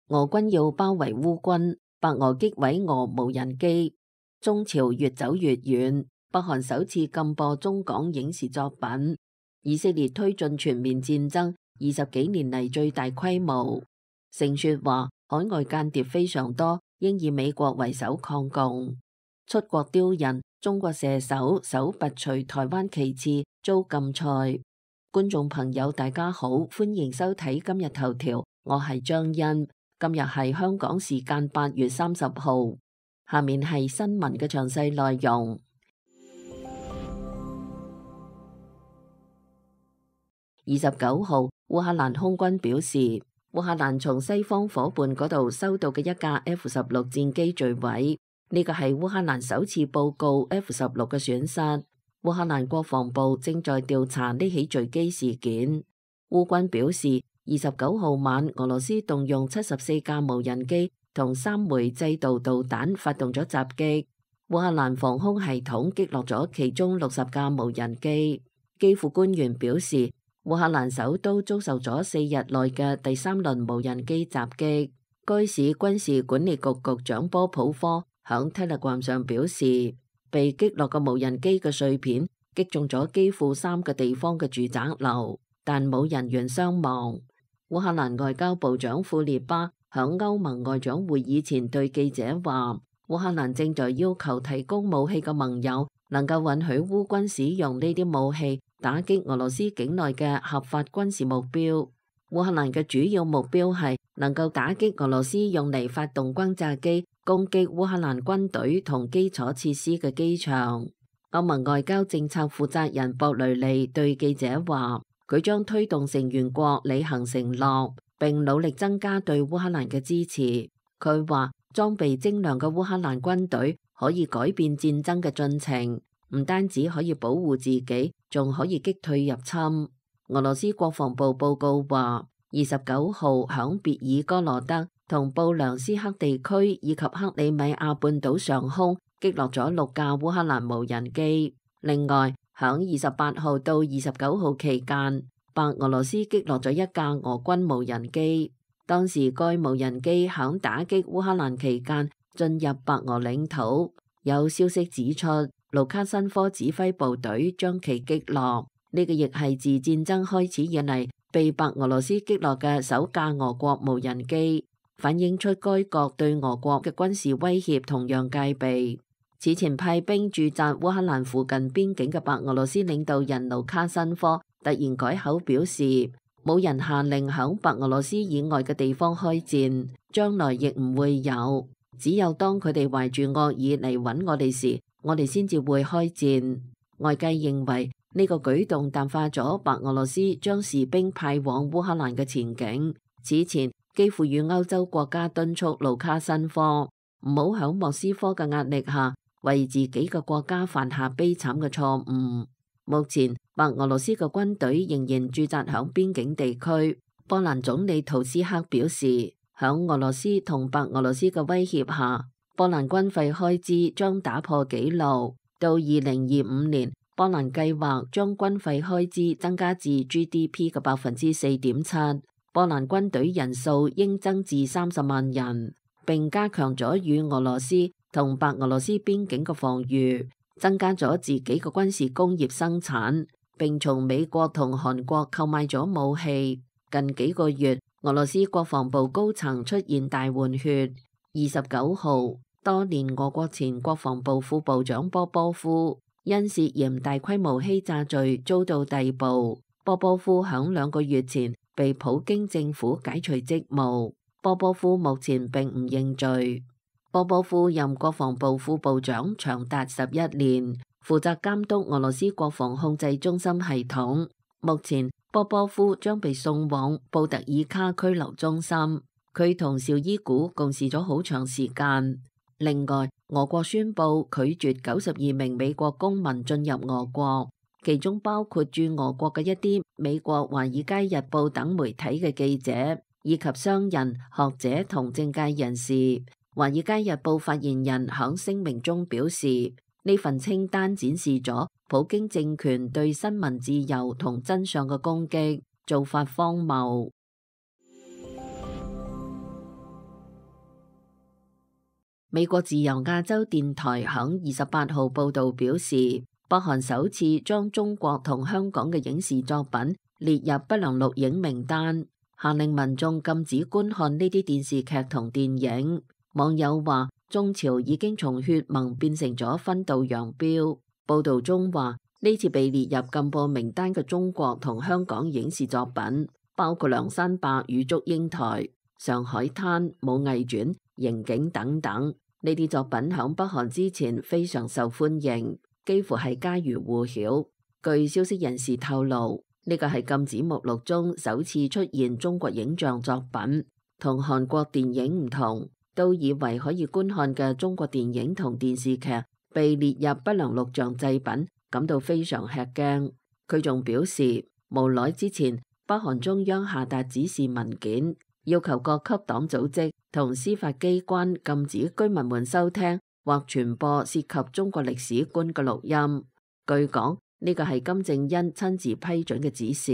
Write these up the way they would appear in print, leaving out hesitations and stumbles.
俄軍要包圍烏軍，白俄擊毀俄無人機。中朝越走越遠，北韓首次禁播中港影視作品。以色列推進全面戰爭，20幾年嚟最大規模。盛雪話海外間諜非常多，應以美國為首抗共。出國丟人，中國射手手拔除台灣旗幟遭禁賽。觀眾朋友大家好，歡迎收睇今日頭條，我係張欣。今日係香港時間8月30號，下面係新聞嘅詳細內容。29號，烏克蘭空軍表示，烏克蘭從西方夥伴嗰度收到嘅一架 F-16戰機墜毀，呢個係烏克蘭首次報告 F-16嘅損失。烏克蘭國防部正在調查呢起墜機事件。烏軍表示，29號晚，俄羅斯動用74架無人機同3枚制導導彈發動咗襲擊。烏克蘭防空系統擊落咗其中60架無人機。基輔官員表示，烏克蘭首都遭受咗4日內嘅第3輪無人機襲擊。該市軍事管理局局長波普科響 Telegram 上表示，被擊落嘅無人機嘅碎片擊中咗基輔3個地方嘅住宅樓，但冇人員傷亡。烏克蘭外交部長庫列巴響歐盟外長會議前對記者話，烏克蘭正在要求提供武器嘅盟友能夠允許烏軍使用呢啲武器打擊俄羅斯境內嘅合法軍事目標。烏克蘭嘅主要目標係能夠打擊俄羅斯用嚟發動轟炸機攻擊烏克蘭軍隊同基礎設施嘅機場。歐盟外交政策負責人博雷利對記者話，佢將推動成員國履行承諾，並努力增加對烏克蘭嘅支持。佢話，裝備精良嘅烏克蘭軍隊可以改變戰爭嘅進程，唔單止可以保護自己，仲可以擊退入侵。俄羅斯國防部報告話，29號響別爾哥羅德同布良斯克地區以及克里米亞半島上空擊落咗6架烏克蘭無人機。另外，響28號到29號期間，白俄羅斯擊落咗1架俄軍無人機。當時該無人機響打擊烏克蘭期間進入白俄領土。有消息指出，盧卡申科指揮部隊將其擊落。呢個亦係自戰爭開始以嚟被白俄羅斯擊落嘅首架俄國無人機，反映出該國對俄國嘅軍事威脅同樣戒備。此前派兵駐紮烏克蘭附近邊境嘅白俄羅斯領導人盧卡申科突然改口表示，冇人下令響白俄羅斯以外嘅地方開戰，將來亦唔會有。只有當佢哋懷住惡意嚟揾我哋時，我哋先至會開戰。外界認為呢個舉動淡化咗白俄羅斯將士兵派往烏克蘭嘅前景。此前，基輔與歐洲國家敦促盧卡申科唔好響莫斯科嘅壓力下為自己嘅國家犯下悲慘嘅錯誤。目前，白俄羅斯嘅軍隊仍然駐紮響邊境地區。波蘭總理圖斯克表示，響俄羅斯同白俄羅斯嘅威脅下，波蘭軍費開支將打破紀錄。到2025年，波蘭計劃將軍費開支增加至 GDP 嘅4.7%。波蘭軍隊人數應增至30萬人，並加強咗與俄羅斯同白俄羅斯邊境嘅防禦，增加咗自己嘅軍事工業生產，並從美國同韓國購買咗武器。近幾個月，俄羅斯國防部高層出現大換血。29號，多年俄國前國防部副部長波波夫因涉嫌大規模欺詐罪遭到逮捕。波波夫響2個月前被普京政府解除職務。波波夫目前並唔認罪。波波夫任國防部副部長長達11年，負責監督俄羅斯國防控制中心系統。目前，波波夫將被送往布特爾卡拘留中心。佢同紹伊古共事咗好長時間。另外，俄國宣布拒絕92名美國公民進入俄國，其中包括駐俄國嘅一啲美國《華爾街日報》等媒體嘅記者，以及商人、學者同政界人士。《華爾街日報》發言人響聲明中表示，呢份清單展示咗普京政權對新聞自由同真相嘅攻擊，做法荒謬。美國自由亞洲電台響28號報導表示，北韓首次將中國同香港嘅影視作品列入不良錄影名單，下令民眾禁止觀看呢啲電視劇同電影。網友話，中朝已經從血盟變成咗分道揚鑣。報導中話，呢次被列入禁播名單嘅中國同香港影視作品，包括《梁山伯與祝英台》、《上海灘》、《武藝傳》、《刑警》等等。呢啲作品響北韓之前非常受歡迎，幾乎係家喻戶曉。據消息人士透露，呢個係禁止目錄中首次出現中國影像作品，同韓國電影唔同，都以為可以觀看嘅中國電影同電視劇被列入不良錄像製品，感到非常吃驚。佢仲表示，無奈之前北韓中央下達指示文件，要求各級黨組織同司法機關禁止居民們收聽或傳播涉及中國歷史觀嘅錄音。據講，呢個係金正恩親自批准嘅指示。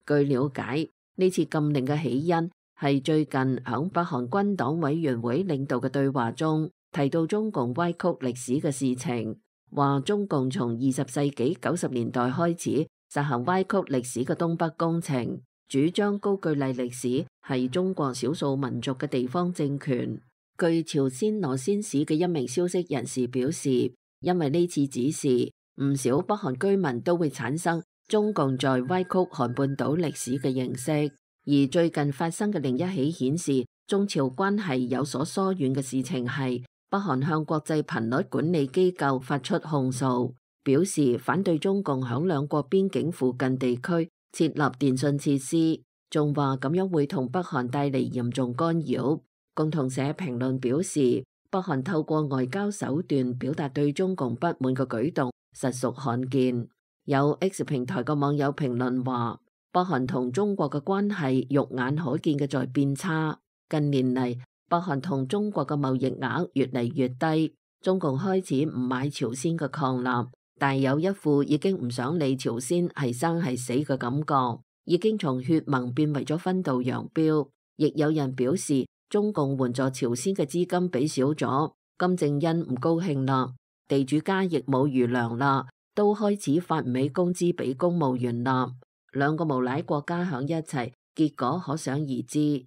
據了解，呢次禁令嘅起因係最近響北韓軍黨委員會領導嘅對話中提到中共歪曲歷史嘅事情，話中共從20世紀90年代開始實行歪曲歷史嘅東北工程，主張高句麗歷史係中國少數民族嘅地方政權。據朝鮮羅先市嘅一名消息人士表示，因為呢次指示，唔少北韓居民都會產生中共在歪曲韓半島歷史嘅認識。而最近發生嘅另一起顯示中朝關係有所疏遠嘅事情係，北韓向國際頻率管理機構發出控訴，表示反對中共響兩國邊境附近地區設立電信設施，仲話咁樣會同北韓帶嚟嚴重干擾。共同社評論表示，北韓透過外交手段表達對中共不滿嘅舉動實屬罕見。有 X 平台嘅網友評論話，北韓同中國嘅關係肉眼可見嘅在變差。近年嚟，北韓同中國嘅貿易額越嚟越低，中共開始唔買朝鮮嘅礦納，但有一副已經唔想理朝鮮係生係死嘅感覺，已經從血盟變為咗分道揚鑣。亦有人表示，中共援助朝鮮嘅資金俾少咗，金正恩唔高興啦，地主家亦冇餘糧啦，都開始發唔起工資俾公務員啦。兩個無賴國家響一齊，結果可想而知。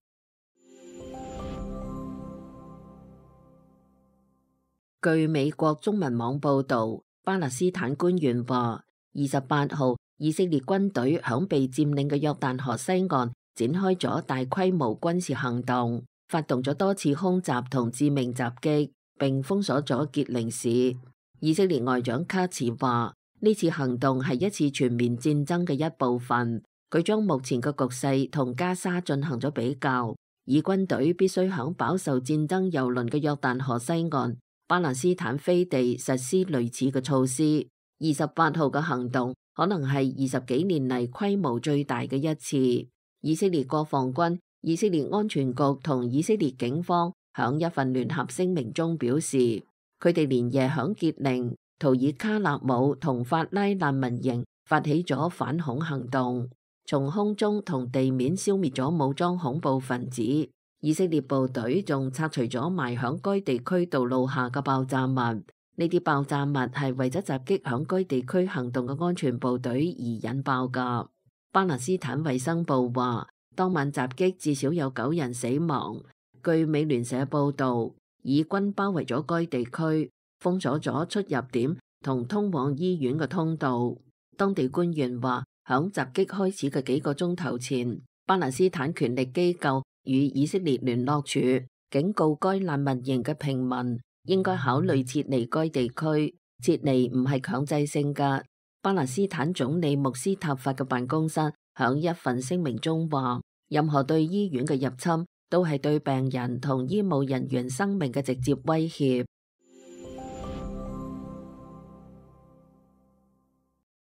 據美國中文網報導，巴勒斯坦官員話，28號以色列軍隊響被佔領嘅約旦河西岸展開咗大規模軍事行動，發動咗多次空襲同致命襲擊，並封鎖咗傑寧市。以色列外長卡茨話，呢次行動係一次全面戰爭嘅一部分。佢將目前嘅局勢同加沙進行咗比較，以軍隊必須響飽受戰爭蹂躪嘅約旦河西岸巴勒斯坦飛地實施類似嘅措施。28號嘅行動可能係20幾年嚟規模最大嘅一次。以色列國防軍、以色列安全局同以色列警方響一份聯合聲明中表示，佢哋連夜響傑寧、圖爾卡納姆同法拉難民營發起咗反恐行動，從空中同地面消滅咗武裝恐怖分子。以色列部隊仲拆除咗埋響該地區道路下嘅爆炸物，呢啲爆炸物係為咗襲擊響該地區行動嘅安全部隊而引爆噶。巴勒斯坦衛生部話，當晚襲擊至少有9人死亡。據美聯社報道，以軍包圍咗該地區，封鎖咗出入點同通往醫院嘅通道。當地官員話，響襲擊開始嘅幾個鐘頭前，巴勒斯坦權力機構與以色列聯絡處警告該難民營嘅平民應該考慮撤離該地區，撤離唔係強制性㗎。巴勒斯坦總理穆斯塔法嘅辦公室響一份聲明中話，任何對醫院嘅入侵都係對病人同醫務人員生命嘅直接威脅。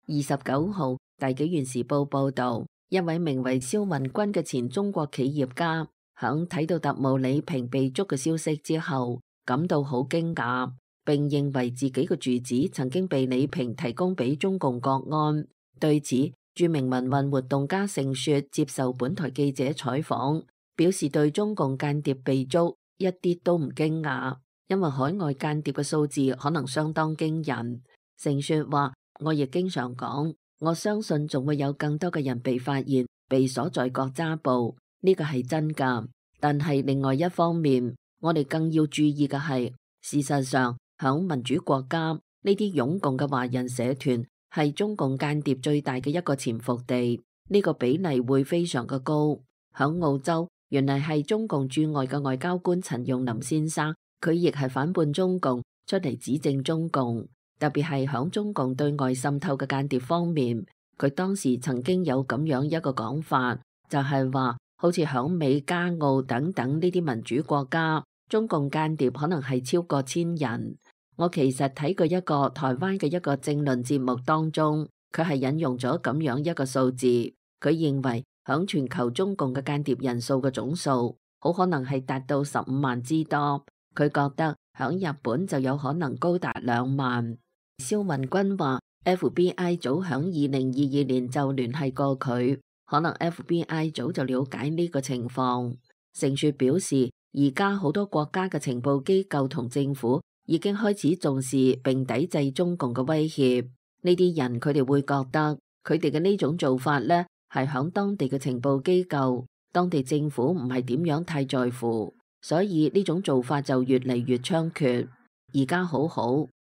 29號，大紀元時報報道，一位名為肖運軍嘅前中國企業家，響睇到特務李平被捉嘅消息之後，感到好驚訝，並認為自己嘅住址曾經被李平提供俾中共國安。對此，著名民運活動家盛雪接受本台記者採訪，表示對中共間諜被捉一啲都唔驚訝，因為海外間諜嘅數字可能相當驚人。成雪話：我亦經常講，我相信仲會有更多嘅人被發現，被鎖在國家部，呢個係真㗎。但係另外一方面，我哋更要注意嘅係，事實上響民主國家呢啲擁共嘅華人社團係中共間諜最大嘅一個潛伏地，呢個比例會非常嘅高。響澳洲，原來係中共駐外嘅外交官陳用林先生，佢亦係反叛中共，出嚟指證中共，特別係響中共對外滲透嘅間諜方面，佢當時曾經有咁樣一個講法，就係話好似響美加澳等等呢啲民主國家，中共間諜可能係超過1000人。我其實睇過一個台灣嘅一個政論節目當中，佢係引用咗咁樣一個數字，佢認為響全球中共嘅間諜人數嘅總數好可能係達到15萬之多。佢覺得響日本就有可能高達2萬。蕭雲軍話 FBI 早響2022年就聯繫過佢，可能 FBI 早就了解呢個情況。成雪表示，而家好多國家嘅情報機構同政府已經開始重視並抵制中共嘅威脅。呢啲人佢哋會覺得佢哋嘅呢種做法呢係響當地嘅情報機構、當地政府唔係點樣太在乎，所以呢種做法就越嚟越猖獗。而家好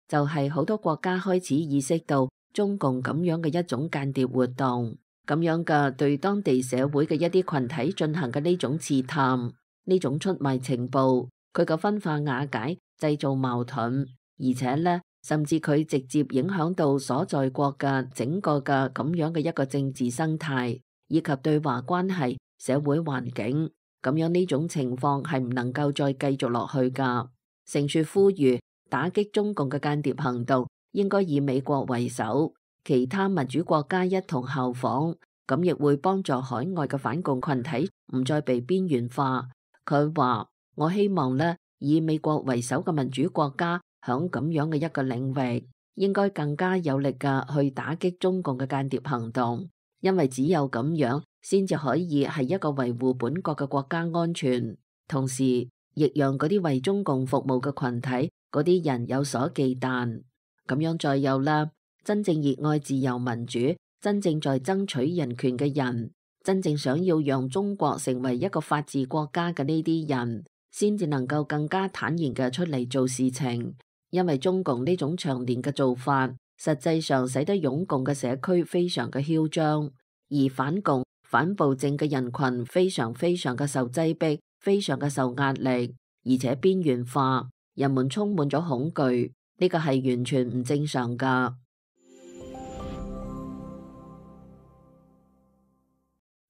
就係好多國家開始意識到中共咁樣嘅一種間諜活動，咁樣嘅對當地社會嘅一啲群體進行嘅呢種刺探，呢種出賣情報，佢嘅分化瓦解，製造矛盾，而且呢，甚至佢直接影響到所在國嘅整個嘅咁樣嘅一個政治生態，以及對華關係、社會環境，咁樣呢種情況係唔能夠再繼續落去噶。成雪呼籲打擊中共嘅間諜行動應該以美國為首，其他民主國家一同效仿，咁亦會幫助海外嘅反共群體唔再被邊緣化。佢話：我希望呢，以美國為首嘅民主國家響咁樣嘅一個領域，應該更加有力嘅去打擊中共嘅間諜行動，因為只有咁樣先至可以係一個維護本國嘅國家安全，同時亦讓嗰啲為中共服務嘅群體嗰啲人有所忌憚。咁樣再有啦，真正熱愛自由民主、真正在爭取人權嘅人，真正想要讓中國成為一個法治國家嘅呢啲人，先至能夠更加坦然嘅出嚟做事情。因為中共呢種長年嘅做法，實際上使得擁共嘅社區非常嘅囂張，而反共反暴政嘅人群非常嘅受擠迫，非常嘅受壓力，而且邊緣化，人們充滿咗恐懼，呢個係完全唔正常噶。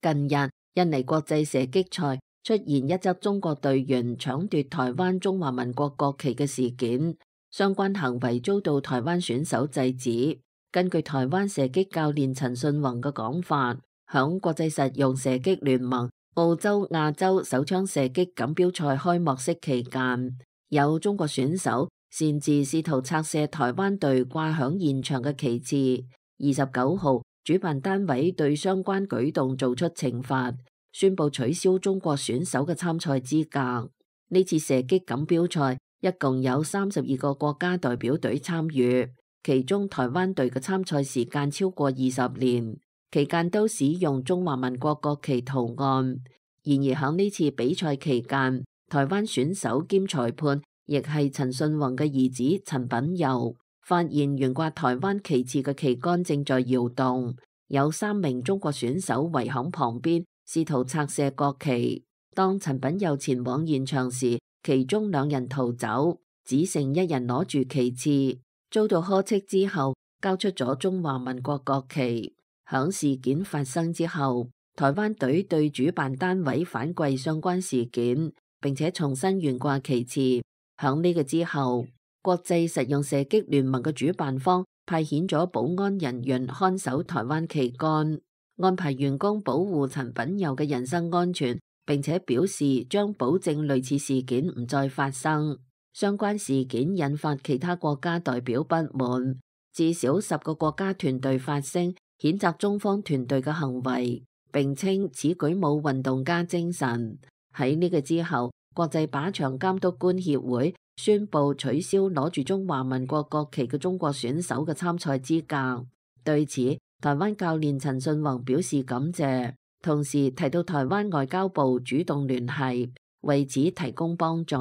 近日，印尼國際射擊賽出現一則中國隊員搶奪台灣中華民國國旗嘅事件，相關行為遭到台灣選手制止。根據台灣射擊教練陳信宏嘅講法，響國際實用射擊聯盟澳洲亞洲手槍射擊錦標賽開幕式期間，有中國選手擅自試圖拆卸台灣隊掛響現場嘅旗幟。29號，主辦單位對相關舉動做出懲罰，宣布取消中國選手嘅參賽資格。呢次射擊錦標賽一共有32個國家代表隊參與，其中台灣隊嘅參賽時間超過20年，期間都使用中華民國國旗圖案。然而喺呢次比賽期間，台灣選手兼裁判亦係陳信宏嘅兒子陳品佑，發現懸掛台灣旗幟嘅旗杆正在搖動，有3名中國選手圍喺旁邊試圖拆卸國旗。當陳品佑前往現場時，其中2人逃走，只剩1人攞住旗幟，遭到呵斥之後交出咗中華民國國旗。響事件發生之後，台灣隊對主辦單位反饋相關事件，並且重新懸掛旗幟。響呢個之後，國際實用射擊聯盟嘅主辦方派遣咗保安人員看守台灣旗杆，安排員工保護陳品佑嘅人身安全，並且表示將保證類似事件唔再發生。相關事件引發其他國家代表不滿，至少10個國家團隊發聲譴責中方團隊嘅行為，並稱此舉冇運動家精神。喺呢個之後，國際靶場監督官協會宣布取消攞住中華民國國旗嘅中國選手嘅參賽資格。對此，台灣教練陳信宏表示感謝，同時提到台灣外交部主動聯繫，為此提供幫助，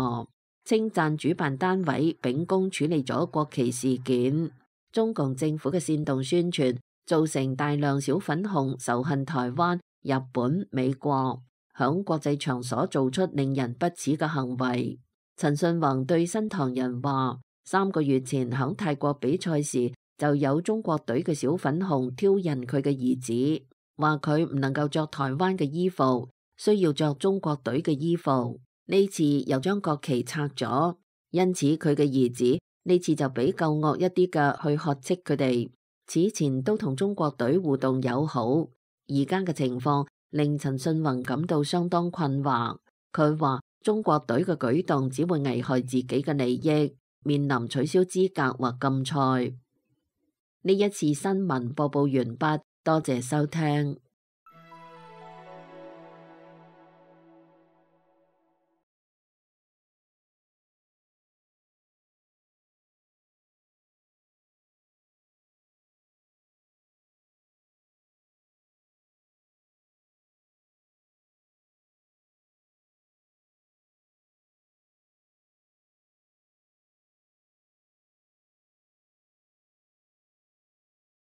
稱讚主辦單位秉公處理咗國旗事件。中共政府嘅煽動宣傳，造成大量小粉紅仇恨台灣、日本、美國，響國際場所做出令人不齒嘅行為。陳信宏對新唐人話：3個月前響泰國比賽時，就有中國隊嘅小粉紅挑釁佢嘅兒子，話佢唔能夠着台灣嘅衣服，需要着中國隊嘅衣服。呢次又將國旗拆咗，因此佢嘅兒子呢次就比較惡一啲嘅去呵斥佢哋。此前都同中國隊互動友好，而家嘅情況令陳信宏感到相當困惑。佢話中國隊嘅舉動只會危害自己嘅利益，面臨取消資格或禁賽。呢一次新聞播報完畢，多謝收聽。